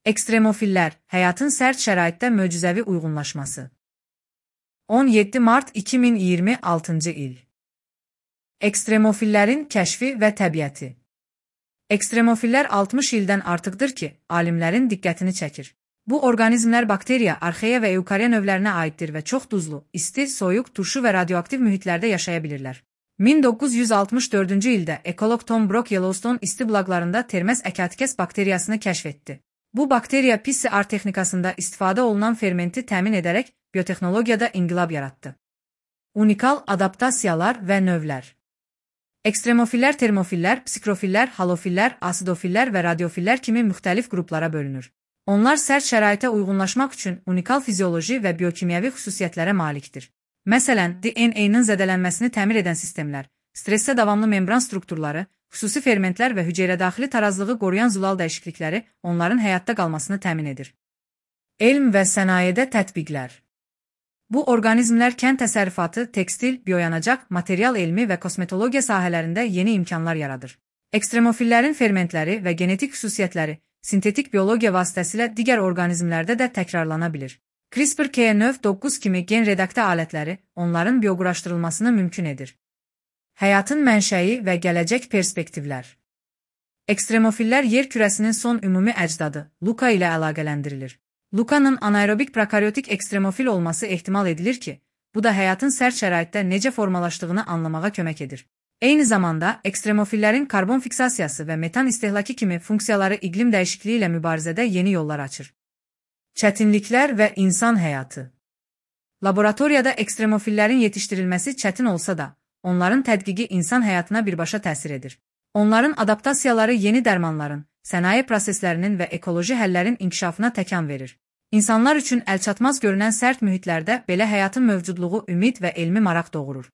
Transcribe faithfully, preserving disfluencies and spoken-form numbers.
Ekstremofillər, həyatın sərt şəraitdə möcüzəvi uyğunlaşması. on yeddi mart iki min iyirmi altıncı il. Ekstremofillərin kəşfi və təbiəti. Ekstremofillər altmış ildən artıqdır ki, alimlərin diqqətini çəkir. Bu orqanizmlər bakteriya, arxeya və eukariya növlərinə aiddir və çox duzlu, isti, soyuq, turşu və radioaktiv mühitlərdə yaşaya bilirlər. min doqquz yüz altmış dördüncü ildə ekoloq Tom Brock Yellowstone isti bulaqlarında Termes əkatikes bakteriyasını kəşf etdi. Bu bakteriya P C R texnikasında istifadə olunan fermenti təmin edərək biotexnologiyada inqilab yaratdı. Unikal adaptasiyalar və növlər. Ekstremofillər termofillər, psikrofillər, halofillər, asidofillər və radiofillər kimi müxtəlif qruplara bölünür. Onlar sərt şəraitə uyğunlaşmaq üçün unikal fizioloji və biokimyəvi xüsusiyyətlərə malikdir. Məsələn, D N A-nın zədələnməsini təmir edən sistemlər, stressdə davamlı membran strukturları, xüsusi fermentlər və hüceyrədaxili tarazlığı qoruyan zulal dəyişiklikləri onların həyatda qalmasını təmin edir. Elm və sənayedə tətbiqlər. Bu orqanizmlər kənd təsərrüfatı, tekstil, bioyanacaq, material elmi və kosmetologiya sahələrində yeni imkanlar yaradır. Ekstremofillərin fermentləri və genetik xüsusiyyətləri sintetik biologiya vasitəsilə digər orqanizmlərdə də təkrarlana bilir. CRISPR K növ doqquz kimi gen redaktə alətləri onların bioquraşdırılmasını mümkün edir. Həyatın mənşəyi və gələcək perspektivlər. Ekstremofillər yer kürəsinin son ümumi əcdadı, Luca ilə əlaqələndirilir. Luca'nın anaerobik prokaryotik ekstremofil olması ehtimal edilir ki, bu da həyatın sərt şəraitdə necə formalaşdığını anlamağa kömək edir. Eyni zamanda, ekstremofillərin karbon fiksasiyası və metan istehlakı kimi funksiyaları iqlim dəyişikliyi ilə mübarizədə yeni yollar açır. Çətinliklər və insan həyatı. Laboratoriyada ekstremofillərin yetişdirilməsi çətin olsa da, onların tədqiqi insan həyatına birbaşa təsir edir. Onların adaptasiyaları yeni dərmanların, sənaye proseslərinin və ekoloji həllərin inkişafına təkan verir. İnsanlar üçün əlçatmaz görünən sərt mühitlərdə belə həyatın mövcudluğu ümid və elmi maraq doğurur.